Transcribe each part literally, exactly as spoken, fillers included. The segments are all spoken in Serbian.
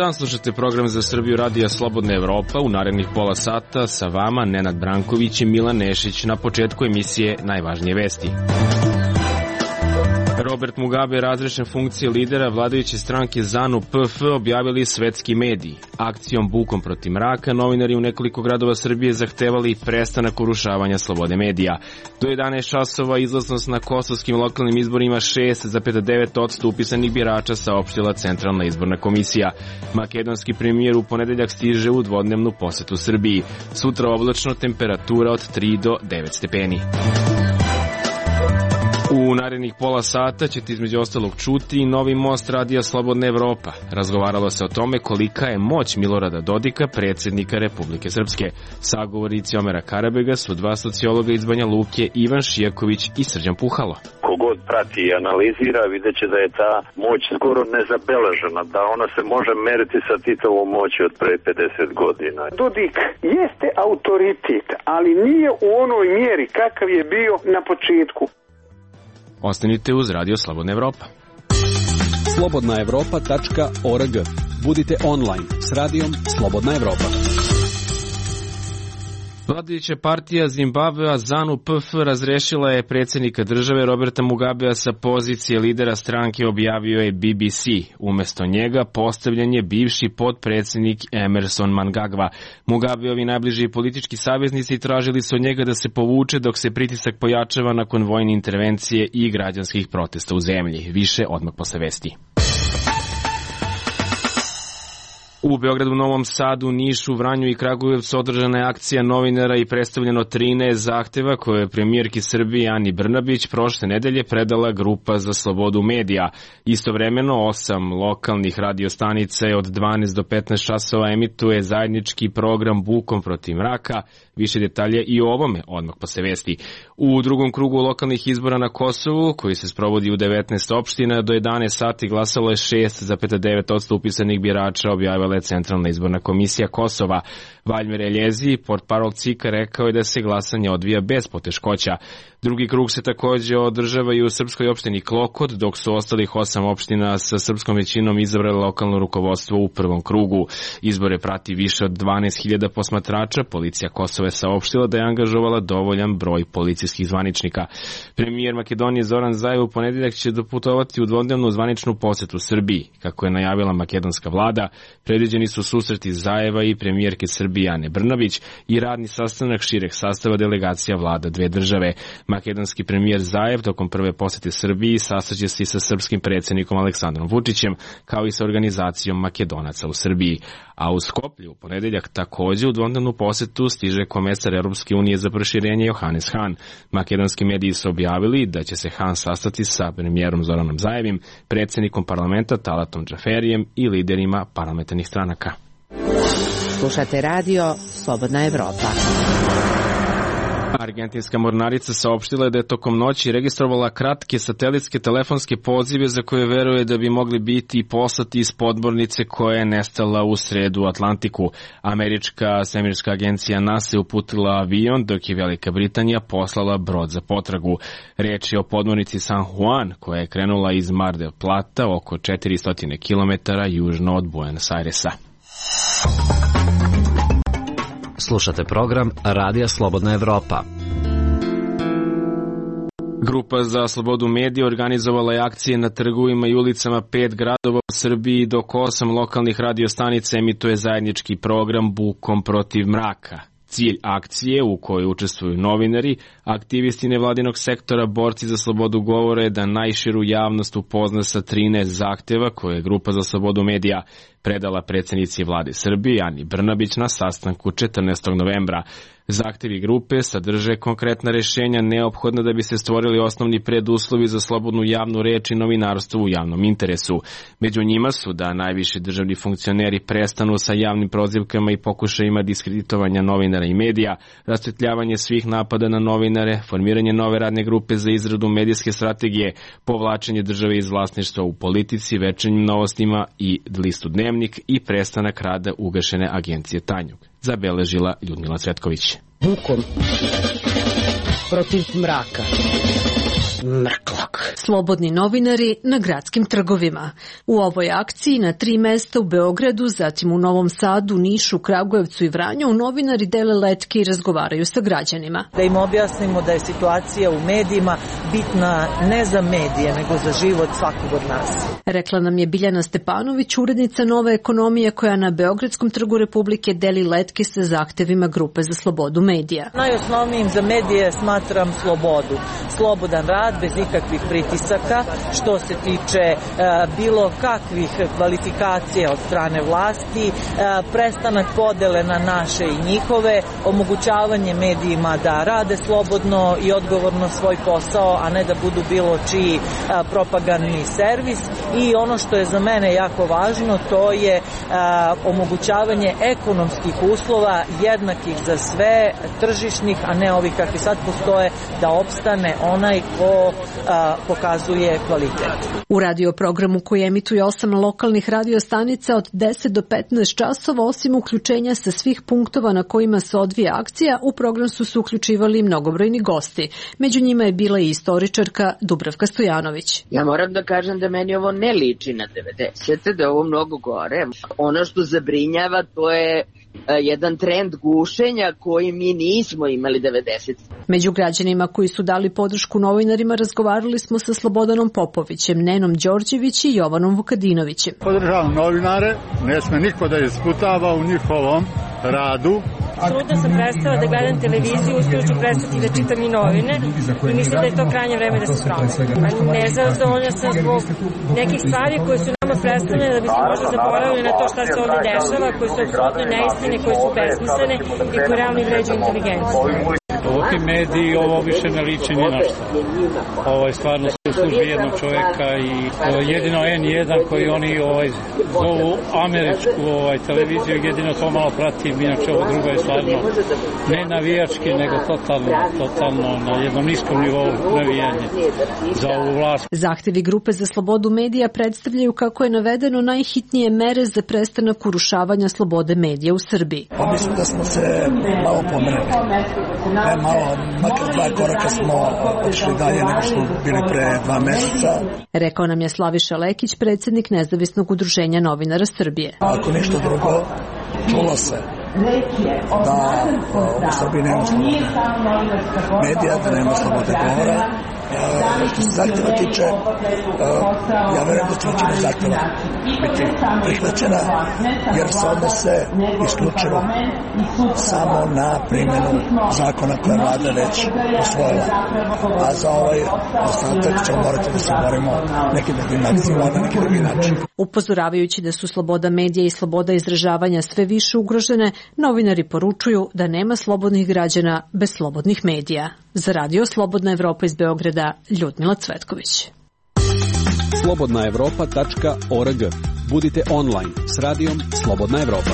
dan, slušate program Za Srbiju radija Slobodna Evropa. U narednih pola sata sa vama Nenad Branković i Milan Nešić. Na početku emisije najvažnije vesti. Robert Mugabe, razrešen funkcije lidera vladajuće stranke ZANU P F, objavili svetski mediji. Akcijom Bukom protiv mraka novinari u nekoliko gradova Srbije zahtevali prestanak urušavanja slobode medija. Do jedanaest časova izlaznost na kosovskim lokalnim izborima šest zarez devet posto upisanih birača, saopštila Centralna izborna komisija. Makedonski premijer u ponedeljak stiže u dvodnevnu posetu Srbiji. Sutra oblačno, temperatura od tri do devet stepeni. U narednih pola sata ćete između ostalog čuti novi most radija Slobodna Evropa. Razgovaralo se o tome kolika je moć Milorada Dodika, predsjednika Republike Srpske. Sagovorici Omera Karabega su dva sociologa iz Banja Luke, Ivan Šijaković i Srđan Puhalo. Kogod prati i analizira, vidjet će da je ta moć skoro nezabeležena, da ona se može meriti sa Titovom moći od pre pedeset godina. Dodik jeste autoritet, ali nije u onoj mjeri kakav je bio na početku. Ostanite uz Radio Slobodna Evropa. slobodna evropa tačka org. Budite online s radijom Slobodna Evropa. Vladajuća partija Zimbabvea ZANU P F razrešila je predsjednika države Roberta Mugabea sa pozicije lidera stranke, objavio je B B C. Umesto njega postavljen je bivši potpredsjednik Emerson Mnangagwa. Mugabeovi najbliži politički saveznici tražili su od njega da se povuče dok se pritisak pojačava nakon vojne intervencije i građanskih protesta u zemlji. Više odmah posle vesti. U Beogradu, Novom Sadu, Nišu, Vranju i Kragujevcu održana je akcija novinara i predstavljeno trinaest zahteva koje je premijerki Srbije Ani Brnabić prošle nedelje predala Grupa za slobodu medija. Istovremeno, osam lokalnih radiostanica od dvanaest do petnaest časova emituje zajednički program Bukom protiv mraka. Više detalje i o ovome odmah posle vesti. U drugom krugu lokalnih izbora na Kosovu, koji se sprovodi u devetnaest opština, do jedanaest sati glasalo je šest zarez devet posto upisanih birača, objavila je Centralna izborna komisija Kosova. Valjmir Eljezi, portparol C I K-a, rekao je da se glasanje odvija bez poteškoća. Drugi krug se također održava i u srpskoj opštini Klokot, dok su ostalih osam opština sa srpskom većinom izabrali lokalno rukovodstvo u prvom krugu. Izbore prati više od dvanaest hiljada posmatrača. Policija Kosova je saopštila da je angažovala dovoljan broj policijskih zvaničnika. Premijer Makedonije Zoran Zaev u ponedeljak će doputovati u dvodnevnu zvaničnu posetu Srbiji. Kako je najavila makedonska vlada, predviđeni su susreti Zaeva i premijerke Srbije Ane Brnabić i radni sastanak šireg sastava delegacija vlada dve države. Makedonski premijer Zaev tokom prve posete Srbiji sastaće se i sa srpskim predsjednikom Aleksandrom Vučićem, kao i sa organizacijom Makedonaca u Srbiji. A u Skoplju u ponedeljak također u dvodnevnu posetu stiže komesar Europske unije za proširenje Johannes Hahn. Makedonski mediji su objavili da će se Hahn sastati sa premijerom Zoranom Zaevim, predsjednikom parlamenta Talatom Džaferijem i liderima parlamentarnih stranaka. Slušate radio Slobodna Evropa. Argentinska mornarica saopštila je da je tokom noći registrovala kratke satelitske telefonske pozive za koje veruje da bi mogli biti poslati iz podmornice koja je nestala u sredu u Atlantiku. Američka svemirska agencija NASA je uputila avion, dok je Velika Britanija poslala brod za potragu. Riječ je o podmornici San Juan, koja je krenula iz Mar del Plata, oko četiristo kilometara južno od Buenos Airesa. Slušate program Radija Slobodna Evropa. Grupa za slobodu medija organizovala je akcije na trgovima i ulicama pet gradova u Srbiji, dok osam lokalnih radiostanica emituje zajednički program Bukom protiv mraka. Cilj akcije, u kojoj učestvuju novinari, aktivisti nevladinog sektora, borci za slobodu govora, je da najširu javnost upozna sa trinaest zahteva koje je Grupa za slobodu medija predala predsjednici vlade Srbije Ani Brnabić na sastanku četrnaestog novembra. Zahtevi grupe sadrže konkretna rješenja neophodna da bi se stvorili osnovni preduslovi za slobodnu javnu reč i novinarstvo u javnom interesu. Među njima su da najviši državni funkcioneri prestanu sa javnim prozivkama i pokušajima diskreditovanja novinara i medija, rasvetljavanje svih napada na novinare, formiranje nove radne grupe za izradu medijske strategije, povlačenje države iz vlasništva u politici, Večernjim novostima i listu Dnevnik i prestanak rada ugašene agencije Tanjug, zabeležila Ljudmila Cvetković. Bukom protiv mraka. Mrklog. Slobodni novinari na gradskim trgovima. U ovoj akciji na tri mesta u Beogradu, zatim u Novom Sadu, Nišu, Kragujevcu i Vranju, novinari dele letke i razgovaraju sa građanima. Da im objasnimo da je situacija u medijima bitna ne za medije, nego za život svakog od nas. Rekla nam je Biljana Stepanović, urednica Nove ekonomije, koja na Beogradskom trgu Republike deli letke sa zahtevima Grupe za slobodu medija. Najosnovnijim za medije smatram slobodu. Slobodan rad bez ikakvih pritisaka, što se tiče e, bilo kakvih kvalifikacija od strane vlasti, e, prestanak podele na naše i njihove, omogućavanje medijima da rade slobodno i odgovorno svoj posao, a ne da budu bilo čiji e, propagandni servis. I ono što je za mene jako važno, to je e, omogućavanje ekonomskih uslova jednakih za sve, tržišnih, a ne ovih kakvi sad postoje, da opstane onaj ko a, pokazuje kvalitet. U radioprogramu koji emituje osam lokalnih radiostanica od deset do petnaest časova, osim uključenja sa svih punktova na kojima se odvija akcija, u program su se uključivali mnogobrojni gosti. Među njima je bila i istoričarka Dubravka Stojanović. Ja moram da kažem da meni ovo ne liči na devedesete, da je ovo mnogo gore. Ono što zabrinjava, to je jedan trend gušenja koji mi nismo imali devedesetih. Među građanima koji su dali podršku novinarima razgovarali smo sa Slobodanom Popovićem, Nenom Đorđević i Jovanom Vukadinovićem. Podržavam novinare, ne sme niko da isputava u njihovom radu. Apsolutno sam prestala da gledam televiziju, uskoro ću prestati da čitam i novine i mislim da je to krajnje vreme da se promeni. Nezadovoljna sam zbog nekih stvari koje su nama predstavljene da bi se možda zaboravili na to šta se ovdje dešava, koje su apsolutno neistine, koje su besmislene i koje realno vređaju inteligenciju. Ovakvi mediji, ovo više ne liči ni na što. Ovo je stvarno u službi jednog čoveka i jedino en jedan koji oni ovaj, zovu američku ovaj, televiziju, jedino to malo pratim, inače ovo drugo je stvarno ne navijački, nego totalno, totalno na jednom niskom nivou navijanje za ovu vlast. Zahtevi Grupe za slobodu medija predstavljaju, kako je navedeno, najhitnije mere za prestanak urušavanja slobode medija u Srbiji. Pa mislim da smo se malo pomerili. Ne malo, makar dva koraka smo otišli dalje nego što bili pre dva meseca. Rekao nam je Slaviša Lekić, predsjednik Nezavisnog udruženja novinara Srbije. Ako ništa drugo, čulo se da u Srbiji nema slobode medija, da nema slobode govora. Što se zahtjeva tiče, ja verujem da će većina zahtjeva biti prihvaćena, jer se odnose isključivo samo na primjenu zakona koje vlada već usvojila. A za ovaj ostatak ćemo morati da se borimo nekim drugim akcijama na neki drugi način. Upozoravajući da su sloboda medija i sloboda izražavanja sve više ugrožene, novinari poručuju da nema slobodnih građana bez slobodnih medija. Za radio Slobodna Evropa iz Beograda, Ljudmila Cvetković. slobodna evropa tačka org. Budite online s radijom Slobodna Evropa.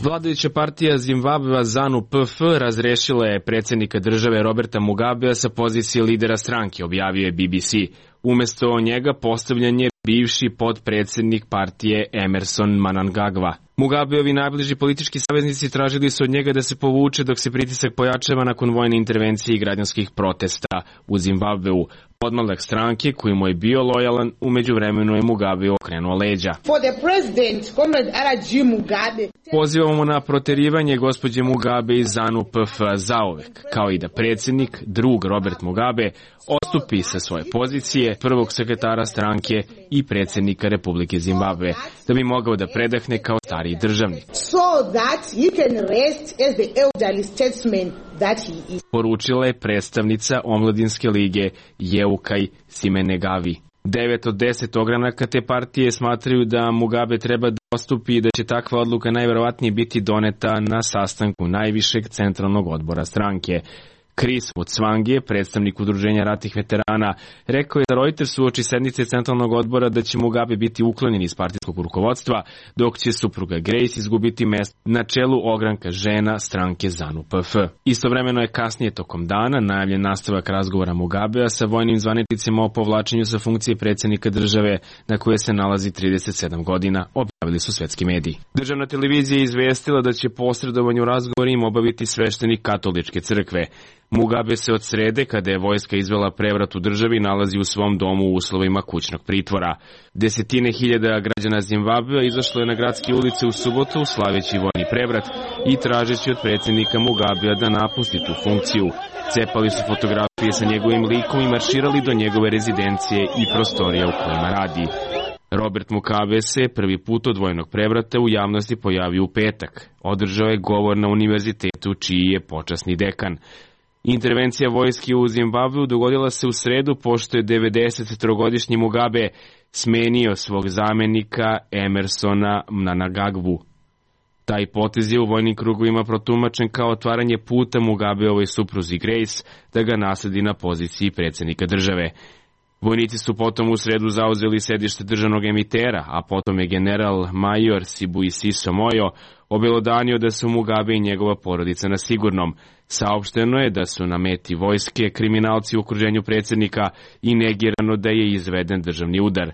Vladajuća partija Zimbabvea ZANU P F razrešila je predsjednika države Roberta Mugabea sa pozicije lidera stranke, objavio je B B C. Umesto njega postavljen je bivši potpredsjednik partije Emerson Mnangagwa. Mugabeovi najbliži politički saveznici tražili su od njega da se povuče dok se pritisak pojačava nakon vojne intervencije i građanskih protesta u Zimbabveu. Podmladak stranke, koji mu je bio lojalan, u međuvremenu je Mugabe okrenuo leđa. Pozivamo na proterivanje gospođe Mugabe iz ZANU P F zauvek, kao i da predsjednik, drug Robert Mugabe, odstupi sa svoje pozicije prvog sekretara stranke i predsjednika Republike Zimbabve, da bi mogao da predahne kao stariji državnik. So that he can rest as the elderly statesman that he is. Poručila je predstavnica Omladinske lige Jeukaj Simenegavi. Devet od deset ogranaka te partije smatraju da Mugabe treba da odstupi i da će takva odluka najverovatnije biti doneta na sastanku najvišeg centralnog odbora stranke. Chris Mutsvangi, predstavnik udruženja ratnih veterana, rekao je za Reuters uoči sednice centralnog odbora da će Mugabe biti uklonjen iz partijskog rukovodstva, dok će supruga Grace izgubiti mesto na čelu ogranka žena stranke ZANU P F. Istovremeno je kasnije tokom dana najavljen nastavak razgovora Mugabea sa vojnim zvaničnicima o povlačenju sa funkcije predsjednika države na koje se nalazi trideset sedam godina. najavili su svetski mediji. Državna televizija je izvestila da će posredovanje u razgovorima obaviti sveštenik katoličke crkve. Mugabe se od srede, kada je vojska izvela prevrat u državi, nalazi u svom domu u uslovima kućnog pritvora. Desetine hiljada građana Zimbabvea izašlo je na gradske ulice u subotu slaveći vojni prevrat i tražeći od predsjednika Mugabea da napusti tu funkciju. Cepali su fotografije sa njegovim likom i marširali do njegove rezidencije i prostorija u kojima radi. Robert Mugabe se prvi put od vojnog prevrata u javnosti pojavio u petak. Održao je govor na univerzitetu čiji je počasni dekan. Intervencija vojske u Zimbabveu dogodila se u sredu pošto je devedesettrogodišnji Mugabe smenio svog zamenika Emersona Mnangagwu. Taj potez je u vojnim krugovima protumačen kao otvaranje puta Mugabeovoj supruzi Grace da ga nasledi na poziciji predsjednika države. Vojnici su potom u sredu zauzeli sedište državnog emitera, a potom je general major Sibuisiso Moyo obelodanio da su Mugabe i njegova porodica na sigurnom. Saopšteno je da su na meti vojske kriminalci u okruženju predsjednika i negirano da je izveden državni udar.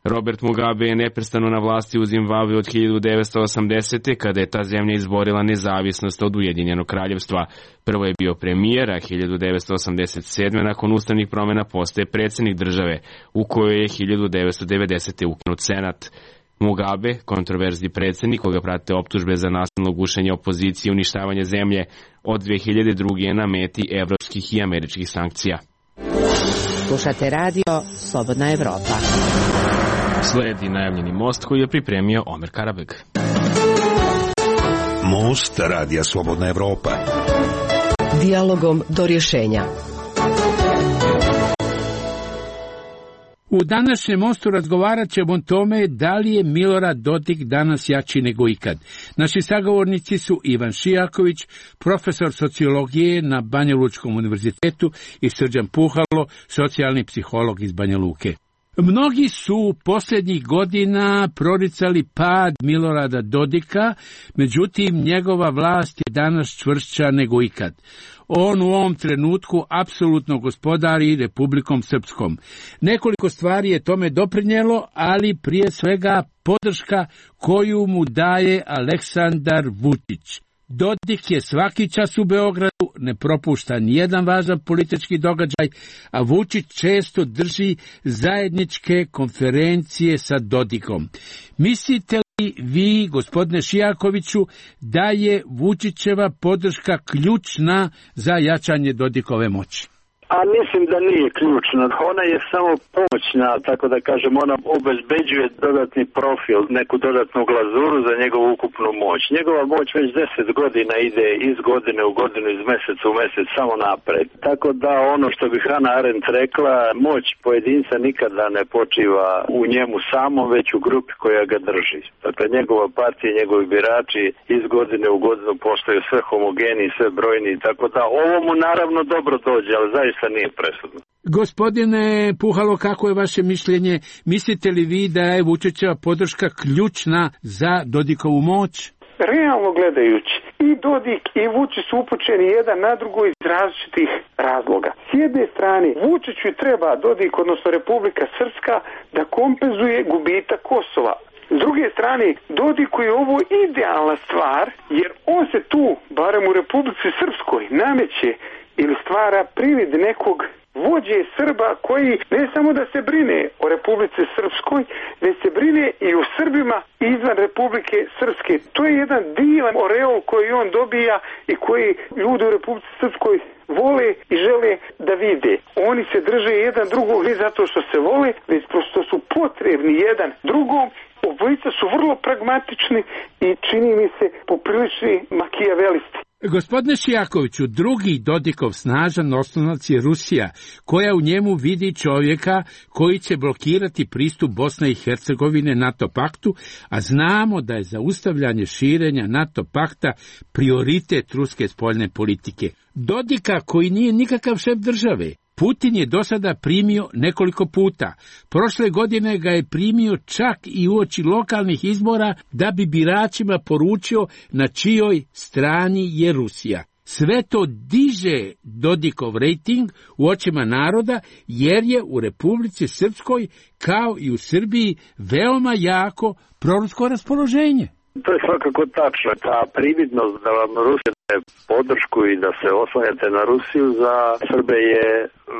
Robert Mugabe je neprestano na vlasti u Zimbabveu od hiljadu devetsto osamdesete. kada je ta zemlja izborila nezavisnost od Ujedinjenog kraljevstva. Prvo je bio premijer, a hiljadu devetsto osamdeset sedme. nakon ustavnih promjena postaje predsjednik države, u kojoj je hiljadu devetsto devedesete. ukinut senat. Mugabe, kontroverzni predsjednik koga prate optužbe za nasilno gušenje opozicije i uništavanje zemlje, od dve hiljade druge. je na meti evropskih i američkih sankcija. Slušate radio Slobodna Evropa. Sledi najavljeni most koji je pripremio Omer Karabeg. Most radija Slobodna Evropa. Dijalogom do rješenja. U današnjem mostu razgovarat ćemo o tome da li je Milorad Dodik danas jači nego ikad. Naši sagovornici su Ivan Šijaković, profesor sociologije na Banja Lučkom univerzitetu, i Srđan Puhalo, socijalni psiholog iz Banja Luke. Mnogi su posljednjih godina proricali pad Milorada Dodika, međutim njegova vlast je danas čvršća nego ikad. On u ovom trenutku apsolutno gospodari Republikom Srpskom. Nekoliko stvari je tome doprinijelo, ali prije svega podrška koju mu daje Aleksandar Vučić. Dodik je svaki čas u Beogradu, ne propušta nijedan važan politički događaj, a Vučić često drži zajedničke konferencije sa Dodikom. Mislite li vi, gospodine Šijakoviću, da je Vučićeva podrška ključna za jačanje Dodikove moći? A mislim da nije ključna. Ona je samo pomoćna, tako da kažem, ona obezbeđuje dodatni profil, neku dodatnu glazuru za njegovu ukupnu moć. Njegova moć već deset godina ide iz godine u godinu, iz mjeseca u mjesec, samo napred. Tako da ono što bi Hannah Arendt rekla, moć pojedinca nikada ne počiva u njemu samom, već u grupi koja ga drži. Dakle, njegova partija, njegovi birači iz godine u godinu postaju sve homogeni, sve brojni, tako da ovo mu naravno dobro dođe, ali zaista nije presudno. Gospodine Puhalo, kako je vaše mišljenje? Mislite li vi da je Vučićeva podrška ključna za Dodikovu moć? Realno gledajući, i Dodik i Vučić su upućeni jedan na drugo iz različitih razloga. S jedne strane, Vučiću treba Dodik, odnosno Republika Srpska, da kompenzuje gubitak Kosova. S druge strane, Dodiku je ovo idealna stvar, jer on se tu, barem u Republici Srpskoj, nameće ili stvara privid nekog vođe Srba koji ne samo da se brine o Republici Srpskoj, već se brine i o Srbima izvan Republike Srpske. To je jedan divan oreol koji on dobija i koji ljudi u Republici Srpskoj vole i žele da vide. Oni se drže jedan drugog ne zato što se vole, već prosto su potrebni jedan drugom. Obojica su vrlo pragmatični i čini mi se poprilični makijavelisti. Gospodine Šijakoviću, drugi Dodikov snažan oslonac je Rusija, koja u njemu vidi čovjeka koji će blokirati pristup Bosne i Hercegovine NATO paktu, a znamo da je zaustavljanje širenja NATO pakta prioritet ruske spoljne politike. Dodika koji nije nikakav šef države, Putin je do sada primio nekoliko puta. Prošle godine ga je primio čak i uoči lokalnih izbora da bi biračima poručio na čijoj strani je Rusija. Sve to diže Dodikov rejting u očima naroda, jer je u Republici Srpskoj, kao i u Srbiji, veoma jako prorusko raspoloženje. To je svakako tačno. Ta prividnost da vam Rusija daje podršku i da se oslanjate na Rusiju za Srbe je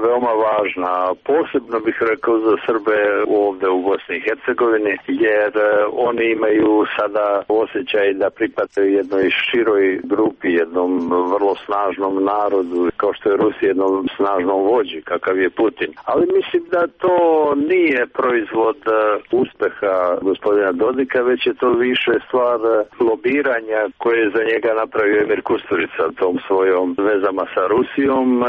veoma važna. Posebno bih rekao za Srbe ovde u Bosni i Hercegovini, jer oni imaju sada osjećaj da pripadaju jednoj široj grupi, jednom vrlo snažnom narodu, kao što je Rusija, jednom snažnom vođi, kakav je Putin. Ali mislim da to nije proizvod uspeha gospodina Dodika, već je to više stvar lobiranja koje je za njega napravio Emir Kusturica tom svojom vezama sa Rusijom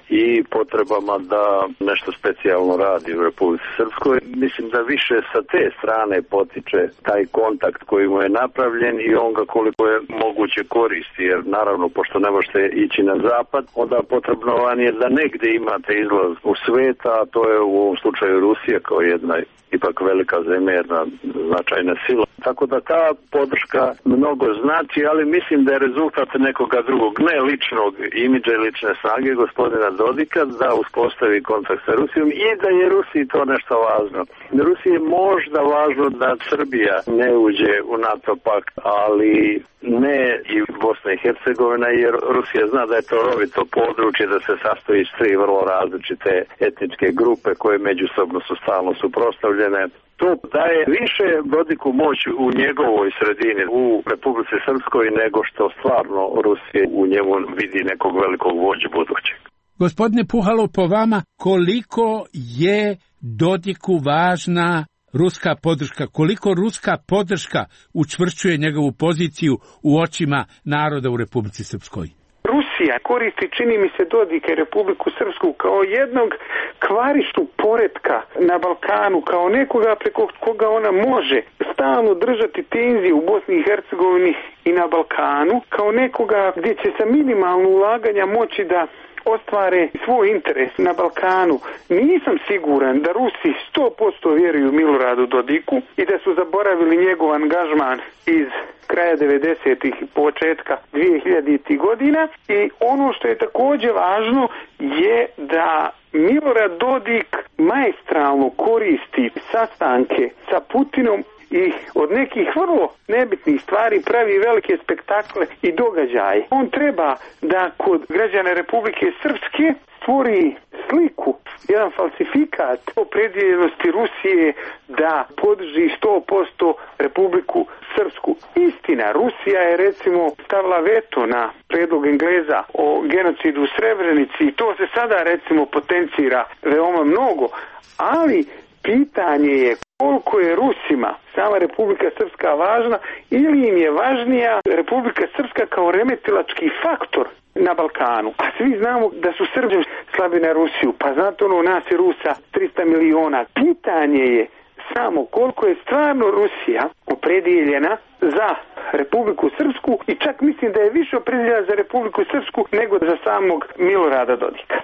i potrebama da nešto specijalno radi u Republici Srpskoj. Mislim da više sa te strane potiče taj kontakt koji mu je napravljen i on ga koliko je moguće koristi, jer naravno pošto ne možete ići na zapad, onda potrebno vam je da negde imate izlaz u sveta, a to je u ovom slučaju Rusija kao jedna ipak velika zemlja, jedna značajna sila. Tako da ta podrška mnogo znači, ali mislim da je rezultat nekoga drugog, ne ličnog imidža i lične snage gospodina Dodika da uspostavi kontakt sa Rusijom i da je Rusiji to nešto važno. Rusiji je možda važno da Srbija ne uđe u NATO pakt, ali ne i Bosna i Hercegovina, jer Rusija zna da je to rovito područje, da se sastoji iz tri vrlo različite etničke grupe koje međusobno su stalno suprotstavljene. To daje više Dodiku moć u njegovoj sredini, u Republici Srpskoj, nego što stvarno Rusija u njemu vidi nekog velikog vođu budućeg. Gospodine Puhalo, po vama, koliko je Dodiku važna ruska podrška, koliko ruska podrška učvršćuje njegovu poziciju u očima naroda u Republici Srpskoj? Rusija koristi, čini mi se, Dodika i Republiku Srpsku kao jednog kvarištu poretka na Balkanu, kao nekoga preko koga ona može stalno držati tenzije u Bosni i Hercegovini i na Balkanu, kao nekoga gdje će sa minimalno ulaganja moći da ostvare svoj interes na Balkanu. Nisam siguran da Rusi sto posto vjeruju Miloradu Dodiku i da su zaboravili njegov angažman iz kraja devedesetih i početka dvehiljaditih godina. I ono što je također važno je da Milorad Dodik maestralno koristi sastanke sa Putinom i od nekih vrlo nebitnih stvari pravi velike spektakle i događaje. On treba da kod građana Republike Srpske stvori sliku, jedan falsifikat opredjeljenosti Rusije da podrži sto posto Republiku Srpsku. Istina, Rusija je recimo stavila veto na predlog Engleza o genocidu u Srebrenici i to se sada recimo potencira veoma mnogo, ali pitanje je koliko je Rusima sama Republika Srpska važna ili im je važnija Republika Srpska kao remetilački faktor na Balkanu. A svi znamo da su Srbi slabi na Rusiju, pa znate ono, nas je Rusa tristo miliona. Pitanje je samo koliko je stvarno Rusija opredijeljena za Republiku Srpsku i čak mislim da je više opredijeljena za Republiku Srpsku nego za samog Milorada Dodika.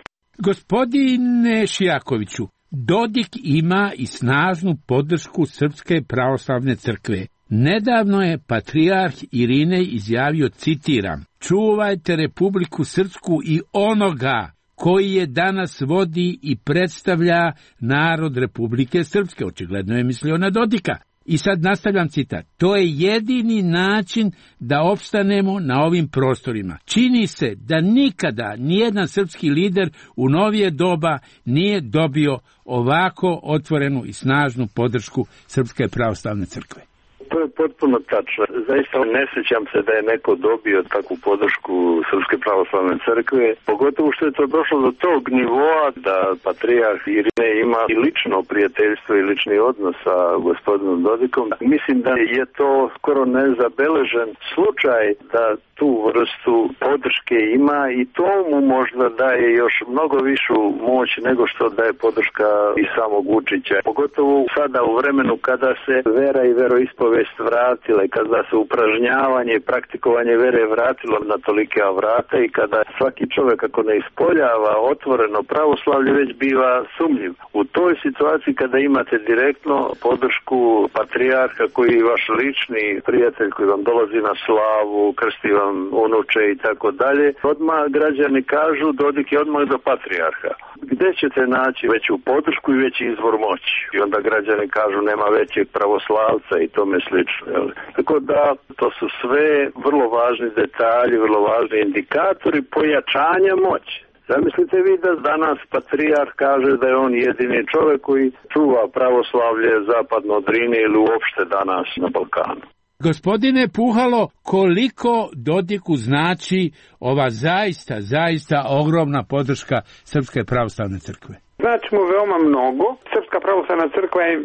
Gospodine Šijakoviću, Dodik ima i snažnu podršku Srpske pravoslavne crkve. Nedavno je patrijarh Irinej izjavio, citiram, čuvajte Republiku Srpsku i onoga koji je danas vodi i predstavlja narod Republike Srpske. Očigledno je mislio na Dodika. I sad nastavljam citat. To je jedini način da opstanemo na ovim prostorima. Čini se da nikada nijedan srpski lider u novije doba nije dobio ovako otvorenu i snažnu podršku Srpske pravoslavne crkve. To je potpuno tačno. Zaista ne sjećam se da je neko dobio takvu podršku Srpske pravoslavne crkve, pogotovo što je to došlo do tog nivoa da patrijarh Irinej ima i lično prijateljstvo i lični odnos sa gospodinom Dodikom. Mislim da je to skoro nezabeležen slučaj da tu vrstu podrške ima i to mu možda daje još mnogo višu moć nego što daje podrška i samog Vučića. Pogotovo sada u vremenu kada se vera i veroispovest povijest vratila i kada se upražnjavanje i praktikovanje vere vratilo na tolike vrata i kada svaki čovjek ako ne ispoljava otvoreno pravoslavlje već biva sumnjiv. U toj situaciji kada imate direktno podršku patrijarha koji je vaš lični prijatelj koji vam dolazi na slavu, krsti vam unuče i tako dalje, odmah građani kažu Dodik je odmah do patrijarha. Gdje ćete naći veću podršku i veći izvor moći? I onda građani kažu nema većeg pravoslavca i tome slično. Jel? Tako da to su sve vrlo važni detalji, vrlo važni indikatori pojačanja moći. Zamislite vi da danas patrijarh kaže da je on jedini čovjek koji čuva pravoslavlje zapadno od Drine ili uopšte danas na Balkanu. Gospodine Puhalo, koliko Dodiku znači ova zaista, zaista ogromna podrška Srpske pravoslavne crkve? Znači mu veoma mnogo. Srpska pravoslavna crkva je,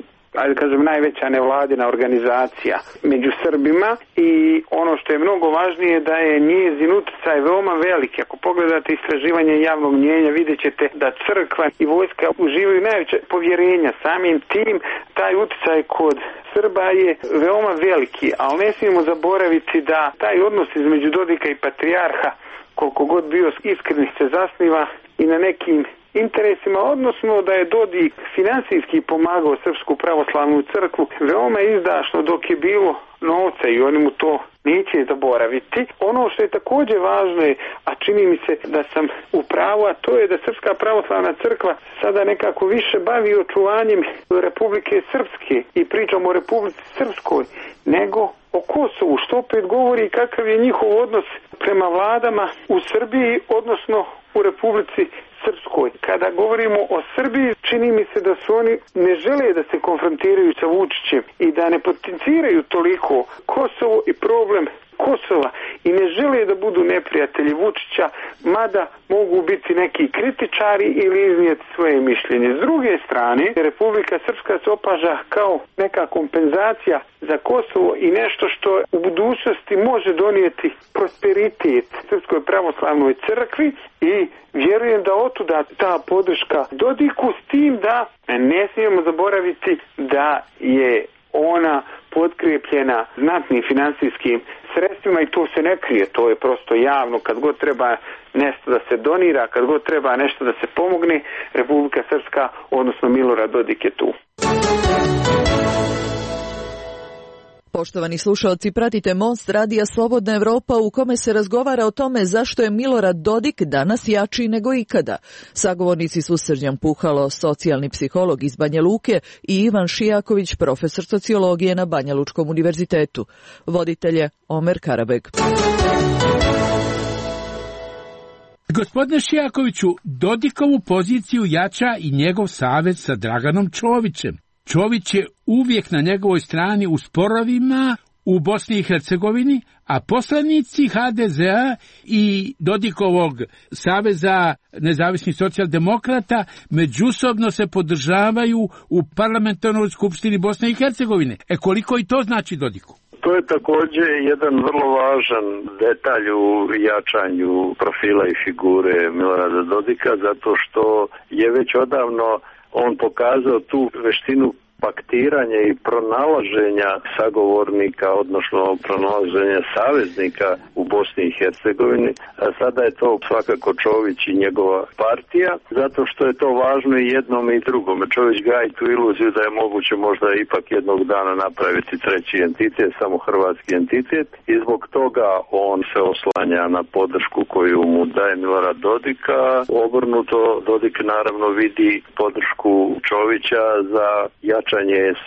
ajde kažem, najveća nevladina organizacija među Srbima i ono što je mnogo važnije da je njezin utjecaj veoma veliki. Ako pogledate istraživanje javnog mnijenja, vidjet ćete da crkva i vojska uživaju najveće povjerenja. Samim tim taj utjecaj kod Srba je veoma veliki, ali ne smijemo zaboraviti da taj odnos između Dodika i patrijarha, koliko god bio iskren, se zasniva i na nekim interesima, odnosno da je Dodik finansijski pomagao Srpsku pravoslavnu crkvu veoma izdašno dok je bilo novca i oni mu to neće zaboraviti. Ono što je također važno je, a čini mi se da sam u pravu, a to je da Srpska pravoslavna crkva sada nekako više bavi očuvanjem Republike Srpske i pričamo o Republici Srpskoj nego o Kosovu, što opet govori kakav je njihov odnos prema vladama u Srbiji, odnosno u Republici Srpskoj. Kada govorimo o Srbiji, čini mi se da su oni ne žele da se konfrontiraju sa Vučićem i da ne potenciraju toliko Kosovo i problem Kosova i ne žele da budu neprijatelji Vučića, mada mogu biti neki kritičari ili iznijeti svoje mišljenje. S druge strane, Republika Srpska se opaža kao neka kompenzacija za Kosovo i nešto što u budućnosti može donijeti prosperitet Srpskoj pravoslavnoj crkvi i vjerujem da otuda ta podrška Dodiku, s tim da ne smijemo zaboraviti da je ona potkrijepljena znatnim financijskim sredstvima i to se ne krije, to je prosto javno. Kad god treba nešto da se donira, kad god treba nešto da se pomogne, Republika Srpska, odnosno Milorad Dodik je tu. Poštovani slušalci, pratite Most radija Slobodna Evropa u kome se razgovara o tome zašto je Milorad Dodik danas jači nego ikada. Sagovornici su Srđan Puhalo, socijalni psiholog iz Banja Luke, i Ivan Šijaković, profesor sociologije na Banja Lučkom univerzitetu. Voditelj je Omer Karabeg. Gospodine Šijakoviću, Dodikovu poziciju jača i njegov savez sa Draganom Čovićem. Čović je uvijek na njegovoj strani u sporovima u Bosni i Hercegovini, a poslanici ha de zea i Dodikovog saveza nezavisnih socijaldemokrata međusobno se podržavaju u parlamentarnoj skupštini Bosne i Hercegovine. E koliko i to znači Dodiku? To je također jedan vrlo važan detalj u jačanju profila i figure Milorada Dodika, zato što je već odavno on pokazao tu veštinu paktiranja i pronalaženja sagovornika, odnosno pronalaženja saveznika u Bosni i Hercegovini. A sada je to svakako Čović i njegova partija, zato što je to važno i jednom i drugom. Čović gaji tu iluziju da je moguće možda ipak jednog dana napraviti treći entitet, samo hrvatski entitet, i zbog toga on se oslanja na podršku koju mu daje Milorad Dodika. Obrnuto, Dodik naravno vidi podršku Čovića za jačanje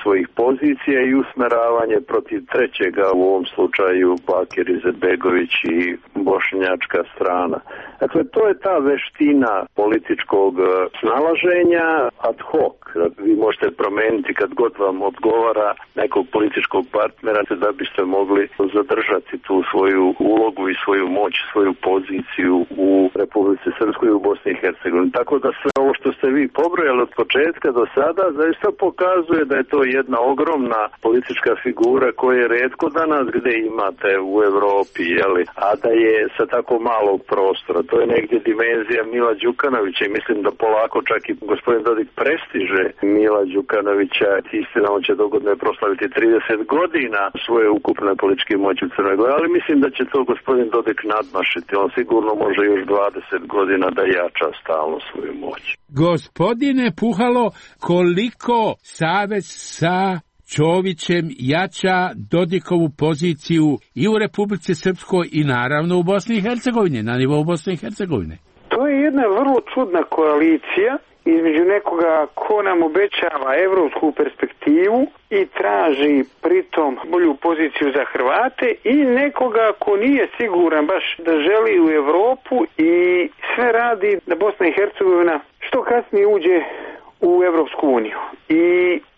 svojih pozicija i usmeravanje protiv trećega, u ovom slučaju Bakir Izetbegović i bošnjačka strana. Dakle, to je ta veština političkog snalaženja ad hoc. Vi možete promijeniti kad god vam odgovara nekog političkog partnera da biste mogli zadržati tu svoju ulogu i svoju moć, svoju poziciju u Republici Srpskoj i u Bosni i Hercegovini. Tako da sve ovo što ste vi pobrojali od početka do sada zaista pokazuje pokazuje da je to jedna ogromna politička figura koja je retko danas gde imate u Evropi, jeli, a da je sa tako malog prostora. To je negdje dimenzija Mila Đukanovića i mislim da polako čak i gospodin Dodik prestiže Mila Đukanovića. Istina, on će dogodno proslaviti trideset godina svoje ukupne političke moći u Crnoj Gori, ali mislim da će to gospodin Dodik nadmašiti. On sigurno može još dvadeset godina da jača stalno svoju moć. Gospodine Puhalo, koliko savez sa Čovićem jača Dodikovu poziciju i u Republici Srpskoj i naravno u Bosni i Hercegovini, na nivou Bosne i Hercegovine? To je jedna vrlo čudna koalicija između nekoga ko nam obećava evropsku perspektivu i traži pritom bolju poziciju za Hrvate i nekoga ko nije siguran baš da želi u Evropu i sve radi da Bosna i Hercegovina što kasnije uđe u Evropsku uniju. I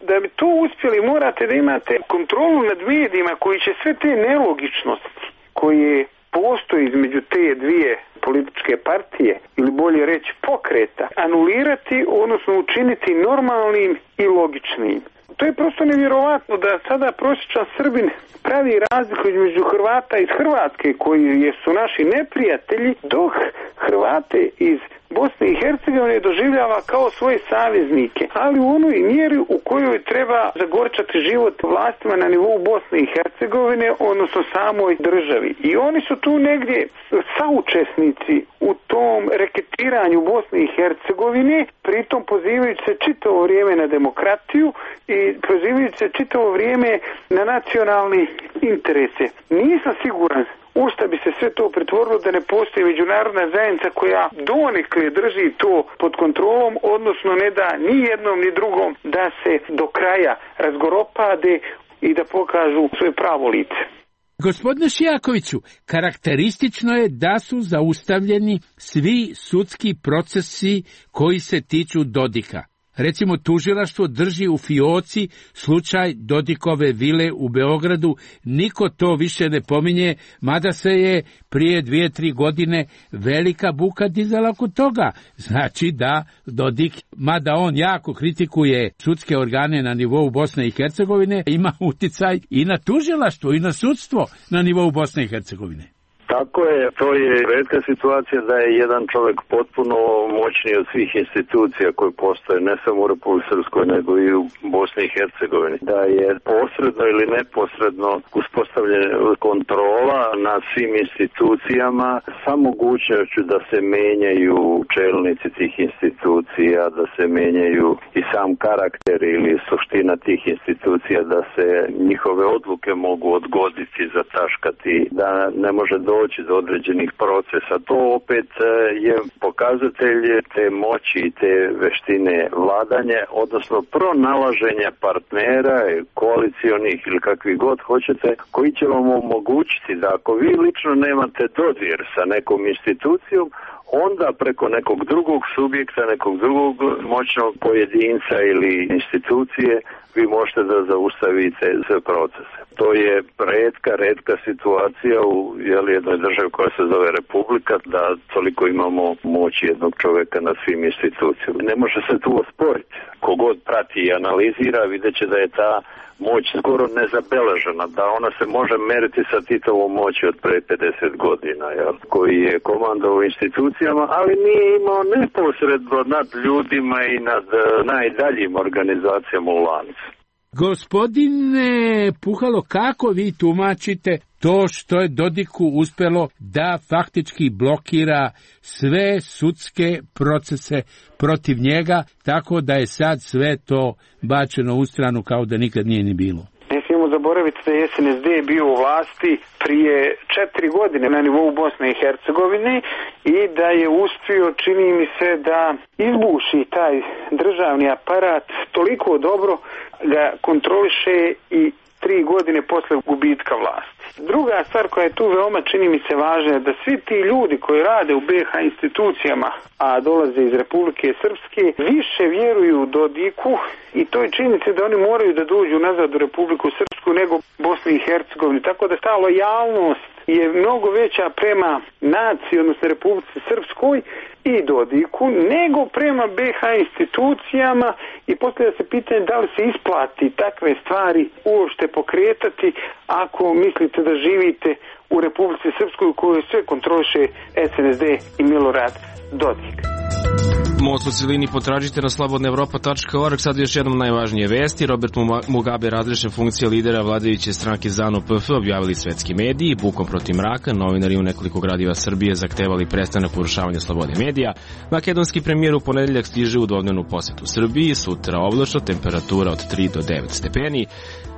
da bi to uspjeli morate da imate kontrolu nad medijima koji će sve te nelogičnosti koje postoji između te dvije političke partije ili bolje reći pokreta anulirati, odnosno učiniti normalnim i logičnim. To je prosto nevjerovatno da sada prosječan Srbin pravi razliku između Hrvata iz Hrvatske koji su naši neprijatelji, dok Hrvate iz Bosne i Hercegovine doživljava kao svoje saveznike, ali u onoj mjeri u kojoj treba zagorčati život vlastima na nivou Bosne i Hercegovine, odnosno samoj državi. I oni su tu negdje saučesnici u tom reketiranju Bosne i Hercegovine, pritom pozivajući se čitavo vrijeme na demokratiju i pozivajući se čitavo vrijeme na nacionalni interese. Nisam siguran u šta bi se sve to pretvorilo da ne postoji međunarodna zajednica koja donekle drži to pod kontrolom, odnosno ne da ni jednom ni drugom da se do kraja razgoropade i da pokažu svoje pravo lice. Gospodine Šijakoviću, karakteristično je da su zaustavljeni svi sudski procesi koji se tiču Dodika. Recimo, tužilaštvo drži u fioci slučaj Dodikove vile u Beogradu, niko to više ne pominje, mada se je prije dvije, tri godine velika buka dizala kod toga. Znači da Dodik, mada on jako kritikuje sudske organe na nivou Bosne i Hercegovine, ima uticaj i na tužilaštvo i na sudstvo na nivou Bosne i Hercegovine. Tako je, to je retka situacija da je jedan čovjek potpuno moćniji od svih institucija koje postoje, ne samo u Republici Srpskoj, nego i u Bosni i Hercegovini. Da je posredno ili neposredno uspostavljena kontrola nad svim institucijama sa mogućnošću da se menjaju čelnici tih institucija, da se menjaju i sam karakter ili suština tih institucija, da se njihove odluke mogu odgoditi, zataškati, da ne može doći doći do određenih procesa. To opet je pokazatelj te moći i te veštine vladanja, odnosno pronalaženja partnera, koalicionih ili kakvi god hoćete, koji će vam omogućiti da ako vi lično nemate dodir sa nekom institucijom, onda preko nekog drugog subjekta, nekog drugog moćnog pojedinca ili institucije vi možete da zaustavite sve procese. To je retka, retka situacija u jeli, jednoj državi koja se zove Republika, da toliko imamo moći jednog čovjeka na svim institucijama. Ne može se tu osporiti. Kogod prati i analizira, vidjet će da je ta moć skoro nezabeležena, da ona se može meriti sa Titovom moći od pre pedeset godina, jel, koji je komandovao institucijama, ali nije imao neposredno nad ljudima i nad najdaljim organizacijama u lancu. Gospodine Puhalo, kako vi tumačite to što je Dodiku uspelo da faktički blokira sve sudske procese protiv njega, tako da je sad sve to bačeno u stranu kao da nikad nije ni bilo? Ne smijemo zaboraviti da je S N S D bio u vlasti prije četiri godine na nivou Bosne i Hercegovine i da je uspio, čini mi se, da izbuši taj državni aparat toliko dobro da kontroliše i tri godine posle gubitka vlasti. Druga stvar koja je tu veoma, čini mi se, važna je da svi ti ljudi koji rade u B iH institucijama, a dolaze iz Republike Srpske, više vjeruju Dodiku i to je činjenica da oni moraju da dođu nazad u Republiku Srpsku nego Bosni i Hercegovini. Tako da ta lojalnost je mnogo veća prema naciji, odnosno Republici Srpskoj i Dodiku, nego prema B iH institucijama i postavlja se pitanje da li se isplati takve stvari uopšte pokretati ako mislite da živite u Republici Srpskoj u kojoj sve kontroliše S N S D i Milorad Dodik. Most u cilini potražite na slobodna evropa tačka org. Sad još jednom najvažnije vesti. Robert Mugabe razrešen funkcija lidera vladajuće stranke ZANU P F, objavili svetski mediji. Bukom protiv mraka, novinari u nekoliko gradova Srbije zahtevali prestanak urušavanja slobode medija. Makedonski premijer u ponedeljak stiže u dvodnevnu posetu Srbiji. Sutra oblačno, temperatura od tri do devet stepeni.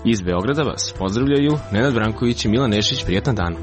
Iz Beograda vas pozdravljaju Nenad Branković i Milan Nešić. Prijetan dan.